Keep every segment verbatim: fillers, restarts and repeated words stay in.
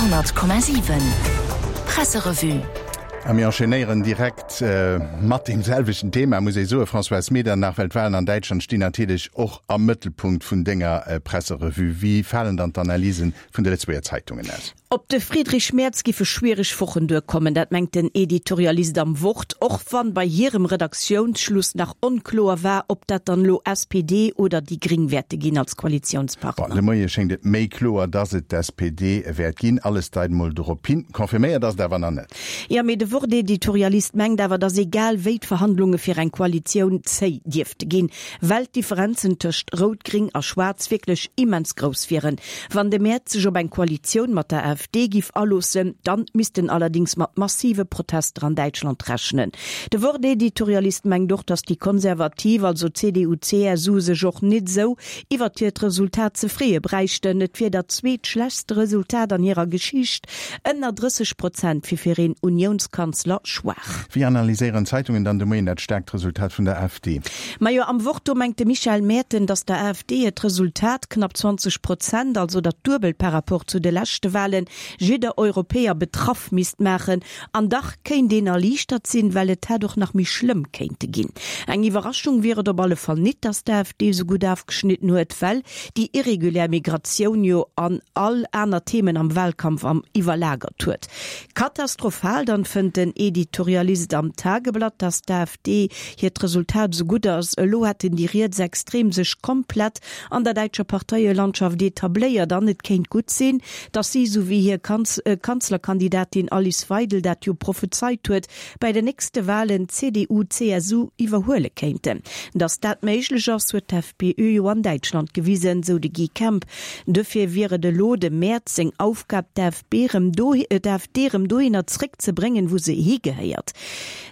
honnert Komma siwen Presserevue. A mir enchaînéieren direkt mat deem selwechten Thema, muss ee soen, Françoise Medernach, well d'Wahlen an Däitschland stinn natierlech och am Mëttelpunkt vun denger Presserevue. Wéi falen dann d'Analysen vun de Lëtzebuerger Zeitungen aus? Op de Friedrich Merz giffe schwiereg Wochen duerkommen, dat mengt den Editorialist am Wort, och wann bei hirem Redaktiounsschluss nach onkloer war, ob dat dann elo S P D oder déi Gring wäerte ginn als Koalitiounspartner. Bon, de Moie schéngt et méi kloer, dass et d'S P D wäert ginn. Alles deit mol dorop hin. Confirméiert ass et awer nach net. Jo, mee de Wort-Editorialist mengt awer, dass egal wéi d'Verhandlunge fir eng Koalitioun zéi dierfte ginn, well d'Differenzen tëscht Rout-Gring a Schwaarz wierklech immens grouss wieren. Wann de Merz sech op eng Koalitioun mat der A F D giff aloossen, dann misst en allerdings mat massive Protester an Däitschland rechnen. De Wort-Editorialist mengt och, dass déi Konservativ, also C D U, C S U, sech och nit sou iwwert hiert Resultat ze freeë bräichten. Et wier dat zweetschlechtst Resultat an hirer Geschicht, ënner drësseg Prozent wier fir een Uniounskanzler schwaach. Wéi analyséieren d'Zeitungen dann de Moien dat staarkt Resultat vun der A F D? Majo, am Wort do mengt de Michael Merten, dass der A F D hiert Resultat, knapp zwanzeg Prozent, also dat Duebelt par rapport zu de leschte Wahlen, jidder Europäer betraff misst maachen. An dach kéint een erliichtert sinn, well et hätt och nach méi schlëmm kéinte ginn. Eng Iwwerraschung wier et op alle Fall nit, dass d'A F D sou gutt ofgeschnidden huet, well déi irregulär Migratioun jo an all aner Themen am Wahlkampf am iwwerlagert huet. Katastrophal dann fënnt den Editorialist am Tageblatt, dass d'A F D hiert Resultat sou gutt ass. Elo hätten déi Rietsextrem sech komplett an der däitscher Parteielandschaft etabléiert an et kéint gutt sinn, dass si, sou wéi hir Kanzlerkandidatin Alice Weidel dat jo prophezeit huet, bei den nächste Wahlen d'C D U, C S U iwwerhuele kéinten. Dass dat méiglech ass, huet d'F P Ö jo an Däitschland gewisen, sou de Guy Kemp. Dofir wier et elo dem Merz seng Aufgab, d'A F P erëm d'A F D erëm dohinner zréckzebréngen, wou se higehéiert.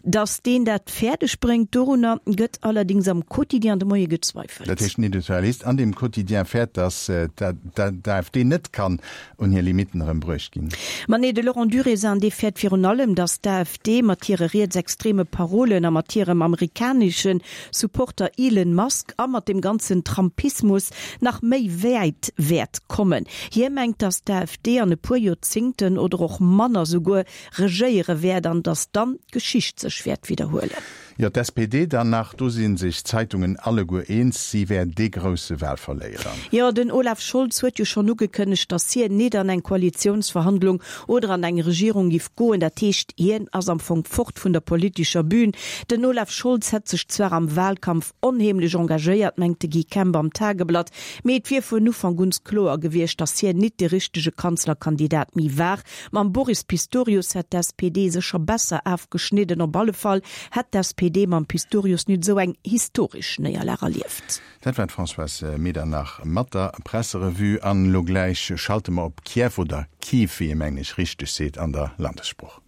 Dass deen dat fäerdeg bréngt, dorunner gëtt allerdings am Quotidien de Moie gezweifelt. Dat heescht, den Editorialist an dem Quotidien fäert, dass d'A F D net kann un hir Limitten erëm bruecht ginn. Ma nee, de Laurent Durézin, dee fäert virun allem, dass d'A F D mat hire rietsextreme Parolen a mat hirem amerikanesche Supporter Elon Musk a mat dem ganzen Trumpismus nach méi wäit wäert kommen. Hie mengt, dass d'A F D an e puer Joerzéngten oder och manner souguer regéiere wäert an dass dann d'Geschicht sech wäert widderhuelen. Jo, d'S P D dann nach, do si sech d'Zeitungen alleguer eens, si wär dee grousse Wahlverléierer. Jo, den Olaf Scholz huet jo schonn ugekënnegt, dass hien net an eng Koalitiounsverhandlung oder an eng Regierung giff goen. Dat heescht, hien ass am Fong fort vun der politescher Bühn. Den Olaf Scholz hätt sech zwar am Wahlkampf onheemlech engagéiert, mengt de Guy Kemp am Tageblatt, mee et wier vun Ufank un kloer gewiescht, dass hien net de richtege Kanzlerkandidat méi war. Mam Boris Pistorius hätt d'S P D sécher besser ofgeschnidden. Op alle Fall hätt d'S P D mam Pistorius net sou eng historesch Néierlag erlieft. Dat war d'Françoise Medernach mat der Presserevue an elo gläich schalte mer op Kiew oder Kiew, wéi een mengen ech richteg seet an der Landessprooch.